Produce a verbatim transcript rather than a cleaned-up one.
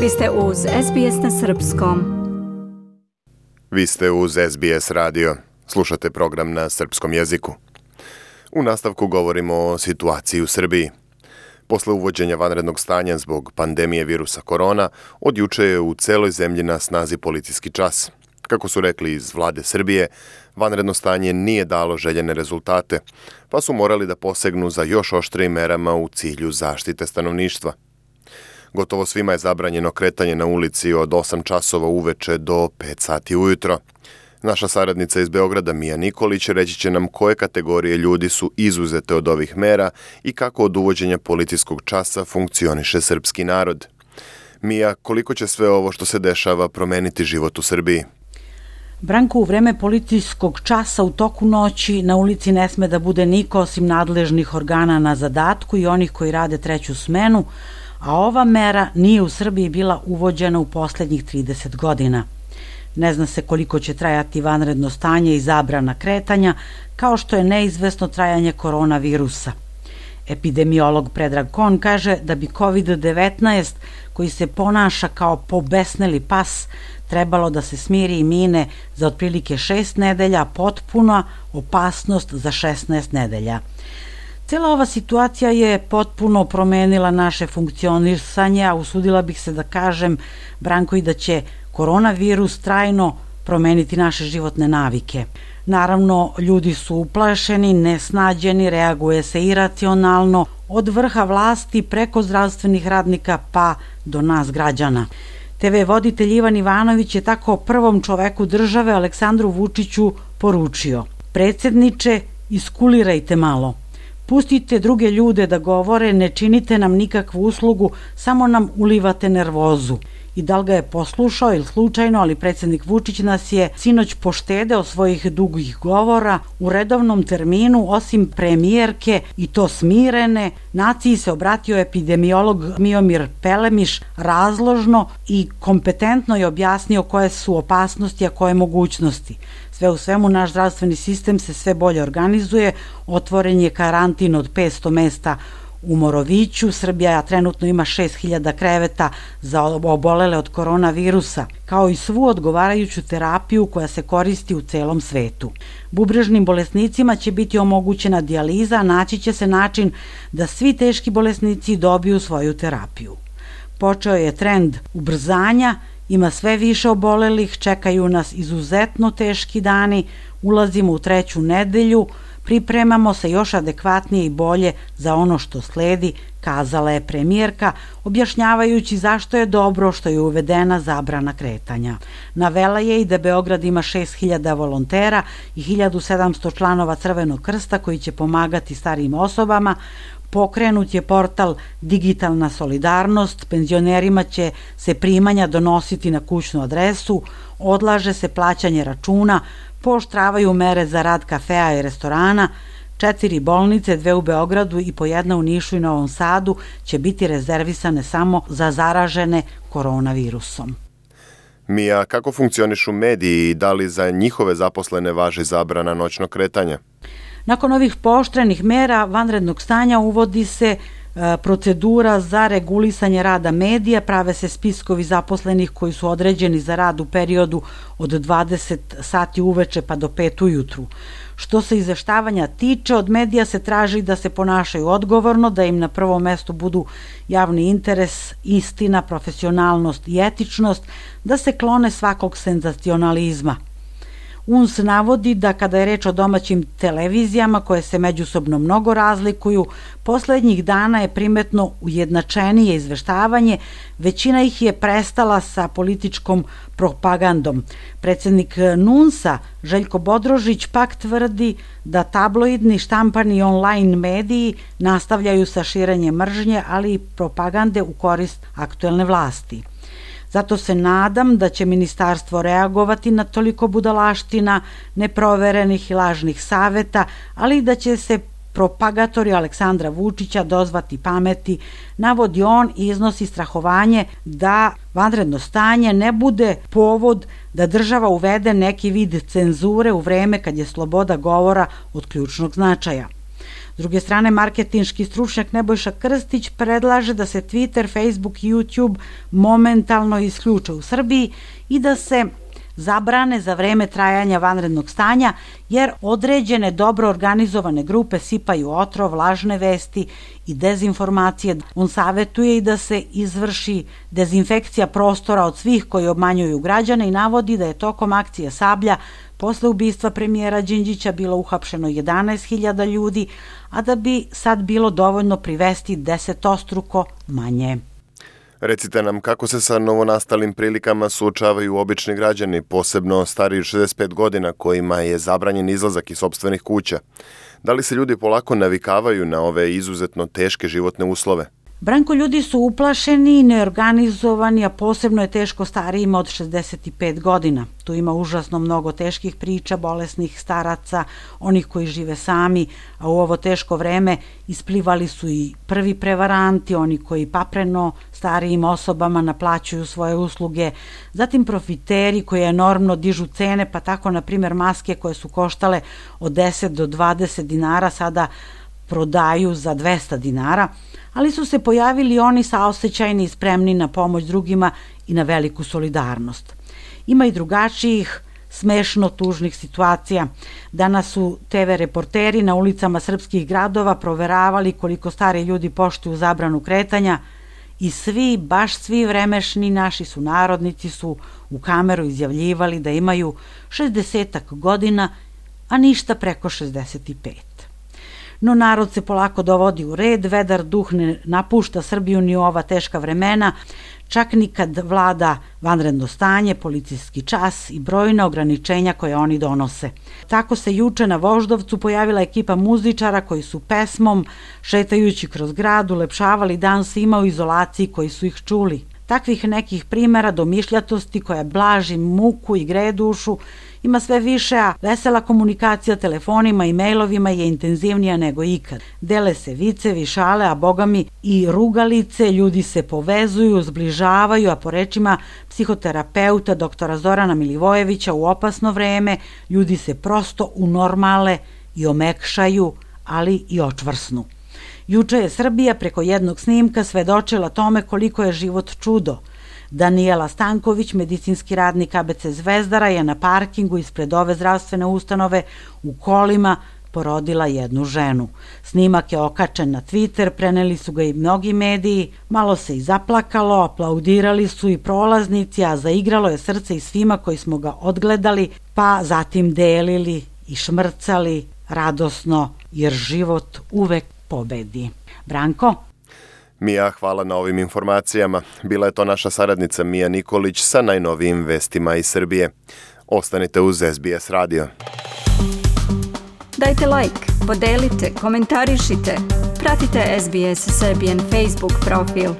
Vi ste uz S B S na srpskom. Vi ste uz S B S radio. Slušate program na srpskom jeziku. U nastavku govorimo o situaciji u Srbiji. Posle uvođenja vanrednog stanja zbog pandemije virusa korona, od juče je u celoj zemlji na snazi policijski čas. Kako su rekli iz vlade Srbije, vanredno stanje nije dalo željene rezultate, pa su morali da posegnu za još oštrijim merama u cilju zaštite stanovništva. Gotovo svima je zabranjeno kretanje na ulici od osam časova uveče do pet sati ujutro. Naša saradnica iz Beograda, Mija Nikolić, reći će nam koje kategorije ljudi su izuzete od ovih mera i kako od uvođenja policijskog časa funkcioniše srpski narod. Mija, koliko će sve ovo što se dešava promeniti život u Srbiji? Branko, u vreme policijskog časa u toku noći na ulici ne sme da bude niko osim nadležnih organa na zadatku i onih koji rade treću smenu, a ova mera nije u Srbiji bila uvođena u poslednjih trideset godina. Ne zna se koliko će trajati vanredno stanje i zabrana kretanja, kao što je neizvesno trajanje koronavirusa. Epidemiolog Predrag Kon kaže da bi kovid devetnaest, koji se ponaša kao pobesneli pas, trebalo da se smiri i mine za otprilike šest nedelja, potpuna opasnost za šesnaest nedelja. Cijela ova situacija je potpuno promenila naše funkcionisanje, a usudila bih se da kažem, Branko, i da će koronavirus trajno promeniti naše životne navike. Naravno, ljudi su uplašeni, nesnađeni, reaguje se iracionalno, od vrha vlasti preko zdravstvenih radnika pa do nas građana. te ve voditelj Ivan Ivanović je tako prvom čoveku države Aleksandru Vučiću poručio: predsjedniče, iskulirajte malo. Pustite druge ljude da govore, ne činite nam nikakvu uslugu, samo nam ulivate nervozu. I da li ga je poslušao ili slučajno, ali predsjednik Vučić nas je sinoć poštedeo svojih dugih govora u redovnom terminu, osim premijerke, i to smirene, naciji se obratio epidemiolog Miomir Pelemiš razložno i kompetentno je objasnio koje su opasnosti, a koje mogućnosti. Sve u svemu, naš zdravstveni sistem se sve bolje organizuje, otvoren je karantin od petsto mesta u Moroviću, Srbija trenutno ima šest hiljada kreveta za obolele od koronavirusa, kao i svu odgovarajuću terapiju koja se koristi u celom svetu. Bubrežnim bolesnicima će biti omogućena dijaliza, a naći će se način da svi teški bolesnici dobiju svoju terapiju. Počeo je trend ubrzanja, ima sve više obolelih, čekaju nas izuzetno teški dani, ulazimo u treću nedelju, pripremamo se još adekvatnije i bolje za ono što sledi, kazala je premijerka, objašnjavajući zašto je dobro što je uvedena zabrana kretanja. Navela je i da Beograd ima šest hiljada volontera i hiljadu sedamsto članova Crvenog krsta koji će pomagati starijim osobama. Pokrenut je portal Digitalna solidarnost, penzionerima će se primanja donositi na kućnu adresu, odlaže se plaćanje računa, pooštravaju mere za rad kafea i restorana, četiri bolnice, dve u Beogradu i po jedna u Nišu i Novom Sadu će biti rezervisane samo za zaražene koronavirusom. Mija, kako funkcionišu mediji i da li za njihove zaposlene važi zabrana noćnog kretanja? Nakon ovih pooštrenih mera vanrednog stanja uvodi se procedura za regulisanje rada medija, prave se spiskovi zaposlenih koji su određeni za rad u periodu od dvadeset sati uveče pa do pet ujutru. Što se izveštavanja tiče, od medija se traži da se ponašaju odgovorno, da im na prvom mestu budu javni interes, istina, profesionalnost i etičnost, da se klone svakog senzacionalizma. U en es navodi da kada je reč o domaćim televizijama koje se međusobno mnogo razlikuju, poslednjih dana je primetno ujednačenije izveštavanje, većina ih je prestala sa političkom propagandom. Predsjednik en u en es-a Željko Bodrožić pak tvrdi da tabloidni, štampani i online mediji nastavljaju sa širenjem mržnje, ali i propagande u korist aktuelne vlasti. Zato se nadam da će ministarstvo reagovati na toliko budalaština, neproverenih i lažnih saveta, ali i da će se propagatori Aleksandra Vučića dozvati pameti, navodi on i iznosi strahovanje da vanredno stanje ne bude povod da država uvede neki vid cenzure u vreme kad je sloboda govora od ključnog značaja. S druge strane, marketinški stručnjak Nebojša Krstić predlaže da se Twitter, Facebook i YouTube momentalno isključe u Srbiji i da se zabrane za vreme trajanja vanrednog stanja, jer određene dobro organizovane grupe sipaju otrov, lažne vesti i dezinformacije. On savetuje i da se izvrši dezinfekcija prostora od svih koji obmanjuju građane i navodi da je tokom akcije Sablja posle ubistva premijera Đinđića bilo uhapšeno jedanaest hiljada ljudi, a da bi sad bilo dovoljno privesti desetostruko manje. Recite nam kako se sa novonastalim prilikama suočavaju obični građani, posebno stariji od šezdeset pet godina kojima je zabranjen izlazak iz sopstvenih kuća. Da li se ljudi polako navikavaju na ove izuzetno teške životne uslove? Branko, ljudi su uplašeni i neorganizovani, a posebno je teško starijima od šezdeset pet godina. Tu ima užasno mnogo teških priča, bolesnih staraca, onih koji žive sami, a u ovo teško vreme isplivali su i prvi prevaranti, oni koji papreno starijim osobama naplaćuju svoje usluge, zatim profiteri koji enormno dižu cene, pa tako, na primjer, maske koje su koštale od deset do dvadeset dinara sada prodaju za dvesta dinara, ali su se pojavili oni saosećajni i spremni na pomoć drugima i na veliku solidarnost. Ima i drugačijih, smešno tužnih situacija. Danas su te ve reporteri na ulicama srpskih gradova proveravali koliko stari ljudi poštuju zabranu kretanja i svi, baš svi vremešni naši sunarodnici su u kameru izjavljivali da imaju šezdesetak godina, a ništa preko šezdeset pet. No narod se polako dovodi u red, vedar duh ne napušta Srbiju ni u ova teška vremena, čak ni kad vlada vanredno stanje, policijski čas i brojna ograničenja koje oni donose. Tako se juče na Voždovcu pojavila ekipa muzičara koji su pesmom, šetajući kroz grad, ulepšavali dan svima u izolaciji koji su ih čuli. Takvih nekih primera domišljatosti koja blaži muku i greje dušu ima sve više, a vesela komunikacija telefonima i mailovima je intenzivnija nego ikad. Dele se vicevi, šale, a bogami i rugalice, ljudi se povezuju, zbližavaju, a po rečima psihoterapeuta doktora Zorana Milivojevića u opasno vreme ljudi se prosto unormale i omekšaju, ali i očvrsnu. Juče je Srbija preko jednog snimka svedočila tome koliko je život čudo. Danijela Stanković, medicinski radnik a be ce Zvezdara, je na parkingu ispred ove zdravstvene ustanove u kolima porodila jednu ženu. Snimak je okačen na Twitter, preneli su ga i mnogi mediji, malo se i zaplakalo, aplaudirali su i prolaznici, a zaigralo je srce i svima koji smo ga odgledali, pa zatim delili i šmrcali radosno, jer život uvek pobedi. Branko? Mija, hvala na ovim informacijama. Bila je to naša saradnica Mija Nikolić sa najnovijim vestima iz Srbije. Ostanite uz es be es radio. Dajte like, podelite, komentarišite. Pratite es be es Serbian Facebook profil.